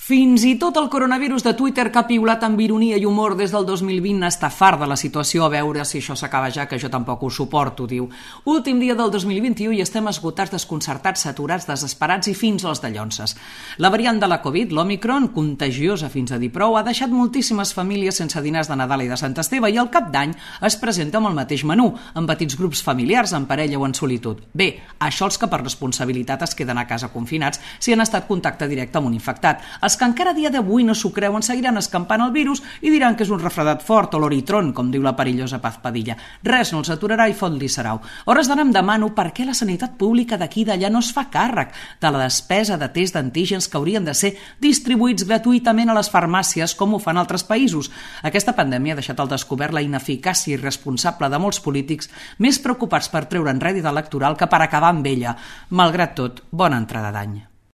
Fins i tot el coronavirus de Twitter, que ha piulat amb ironia i humor des del 2020, està fart de la situació. A veure si això s'acaba ja, que jo tampoc ho suporto, diu. Últim dia del 2021 i estem esgotats, desconcertats, saturats, desesperats i fins als dallonses. La variant de la Covid, l'Omicron, contagiosa fins a dir prou, ha deixat moltíssimes famílies sense dinars de Nadal i de Sant Esteve i al cap d'any es presenta amb el mateix menú, en petits grups familiars, en parella o en solitud. Bé, això els que per responsabilitat es queden a casa confinats si han estat contacte directe amb un infectat. Els que encara a dia d'avui no s'ho creuen seguiran escampant el virus i diran que és un refredat fort o l'oritron, com diu la perillosa Paz Padilla. Res no els aturarà i fot-li sarau. A hores d'ara em demano per què la sanitat pública d'aquí i d'allà no es fa càrrec de la despesa de test d'antígens que haurien de ser distribuïts gratuïtament a les farmàcies com ho fan altres països. Aquesta pandèmia ha deixat al descobert la ineficàcia irresponsable de molts polítics més preocupats per treure'n rèdit electoral que per acabar amb ella. Malgrat tot, bona entrada d'any.